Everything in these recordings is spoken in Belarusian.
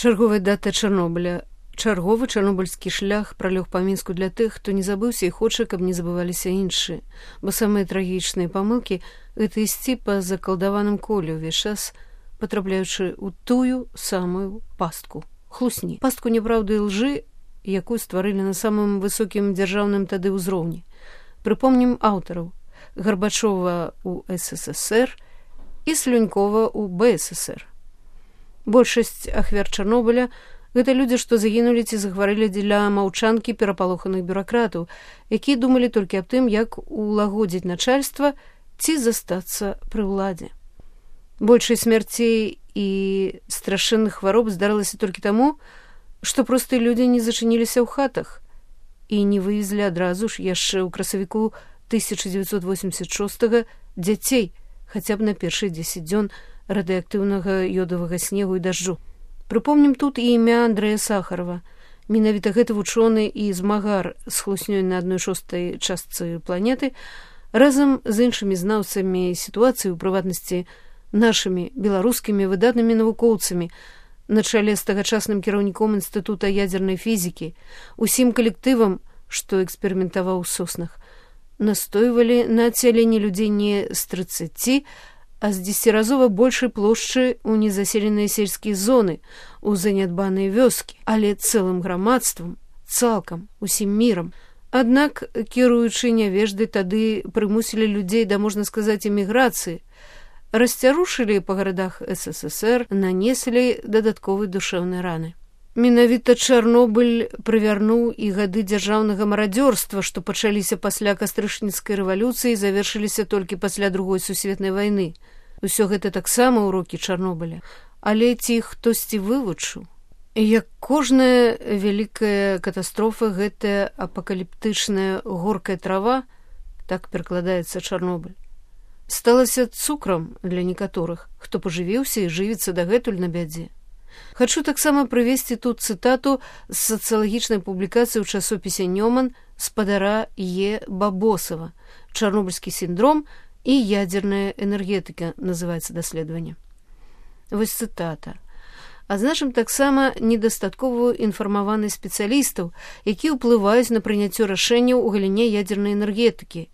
Чарговая дата Чарнобыля. Чарговы чарнобыльскі шлях пралёг па Мінску для тых, хто не забыўся і хоча, каб не забываліся іншыя. Бо самыя трагічныя памылкі – гэта ісці па закалдаваным коле ўвесь час, патрапляючы ў тую самую пастку – хлусні. Пастку няправды і лжы, якую стварылі на самым высокім дзяржаўным тады ўзроўні. Прыпомнім аўтараў – Гарбачова ў СССР і Слюнькова ў БССР. Большасць ахвяр Чарнобыля – гэта людзі, што загінулі ці захварылі дзеля маўчанкі перапалоханых бюракратаў, якія думалі толькі аб тым, як улагодзіць начальства ці застацца пры ўладзе. Большасць смярцей і страшэнных хвароб здарылася толькі таму, што простыя людзі не зачыніліся ў хатах і не вывезлі адразу ж яшчэ ў красавіку 1986 дзяцей, хаця б на першыя 10 дзён радыеактыўнага ёдавага снегу і дажджу. Прыпомнім тут і імя Андрэя Сахарова. Менавіта гэты вучоны і змагар з хлуснёй на 1/6 частцы планеты разам з іншымі знаўцамі сітуацыі, у прыватнасці нашымі беларускімі выдатнымі навукоўцамі, на чале з тагачасным кіраўніком Інстытута ядзернай фізікі, усім калектывам, што эксперыментаваў у соснах, настойвалі на адсяленні людзей не з 30, а з 10-разова большай плошчы ў незаселеныя сельскія зоны, у занядбаныя вёскі, але цэлым грамадствам, цалкам, усім мірам. Аднак, кіруючы нявеждай, тады прымусілі людзей да, можна сказаць, эміграцыі, расцярушылі па гарадах СССР, нанеслі дадатковыя душэўныя раны. Менавіта Чарнобыль прывярнуў і гады дзяржаўнага марадзёрства, што пачаліся пасля кастрычніцкай рэвалюцыі і завершыліся толькі пасля Другой сусветнай вайны. Усё гэта таксама ўрокі Чарнобыля, але ці хтосьці вывучыў? Як кожная вялікая катастрофа, гэтая апакаліптычная горкая трава, так перакладаецца Чарнобыль, сталася цукрам для некаторых, хто пажывіўся і жывіцца дагэтуль на бядзе. Хачу таксама прывесці тут цытату з сацыялагічнай публікацыі ў часопісе «Нёман» спадара Е. Бабосава «Чарнобыльскі сіндром і ядзерная энергетыка» называецца даследаванне. Вось цытата. Адзначым таксама недастатковую інфармаванасць спецыялістаў, якія ўплываюць на прыняццё рашэнняў у галіне ядзернай энергетыкі.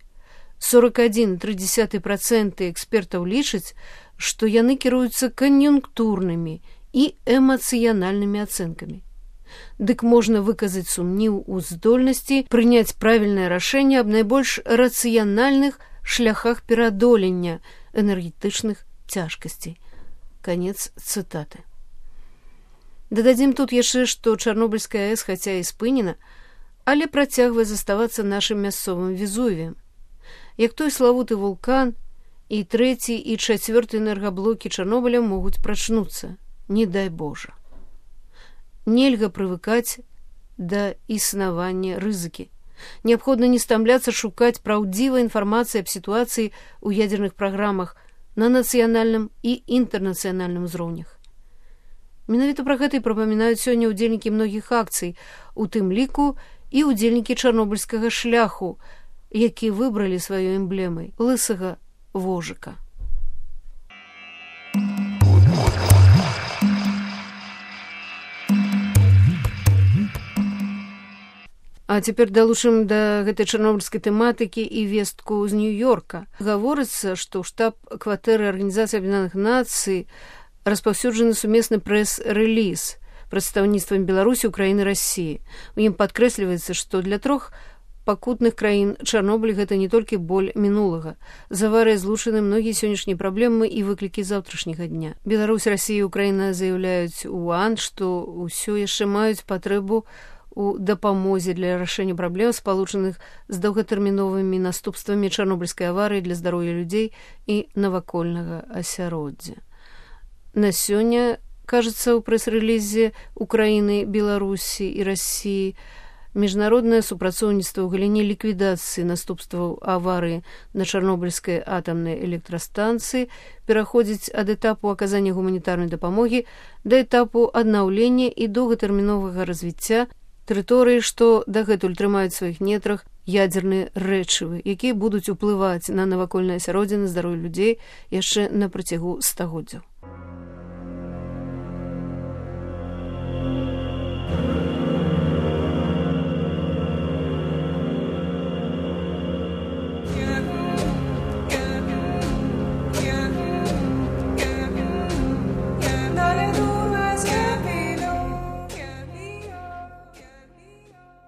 41,3% экспертаў лічаць, што яны кіруюцца кан'юнктурнымі і эмацыянальнымі ацэнкамі. Дык можна выказаць сумнеў у здольнасці прыняць правільнае рашэнне аб найбольш рацыянальных шляхах пераадолення энергетычных цяжкасцей. Канец цытаты. Дададзім тут яшчэ, што Чарнобыльская АЭС хаця і спынена, але працягвае заставацца нашым мясцовым Везувіем. Як той славуты вулкан, і 3 і 4 энергаблокі Чарнобыля могуць прачнуцца. Не дай Божа. Нельга прывыкаць да існавання рызыкі. Неабходна не стамляцца шукаць праўдзівай інфармацыі аб сітуацыі ў ядзерных праграмах на нацыянальным і інтэрнацыянальным узроўнях. Менавіта пра гэта і прапамінаюць сёння ўдзельнікі многіх акцый, у тым ліку і ўдзельнікі чарнобыльскага шляху, які выбралі сваёй эмблемай лысага вожыка. А цяпер далучым да гэтай чарнобыльскай тэматыкі і вестку з Нью-Йорка. Гаворыцца, што ў штаб-кватэры Арганізацыі Аб'яднаных Нацый распаўсюджаны сумесны прэс-рэліз прадстаўніцтвам Беларусі, Украіны, Расіі. У ім падкрэсліваецца, што для 3 пакутных краін Чарнобыль гэта не толькі боль мінулага. З аварыяй злучаны многія сённяшнія праблемы і выклікі заўтрашняга дня. Беларусь, Расія і Украіна заяўляюць у ОАН, што ўсё яшчэ маюць патрэбу у дапамозе для рашэння праблем, спалучаных з доўгатэрміновымі наступствамі чарнобыльскай аварыі для здароўя людзей і навакольнага асяроддзя. На сёння, кажется, у прэс-рэлізе Украіны, Беларусі і Расіі міжнароднае супрацоўніцтва ў галіне ліквідацыі наступстваў аварыі на чарнобыльскай атамнай электрастанцыі пераходзіць ад этапу аказання гуманітарнай дапамогі да этапу аднаўлення і доўгатэрміновага развіцця тэрыторыі, што дагэтуль трымаюць сваіх нетрах ядзерныя рэчывы, якія будуць уплываць на навакольнае асяроддзе, на здароўе людзей яшчэ на працягу стагоддзяў.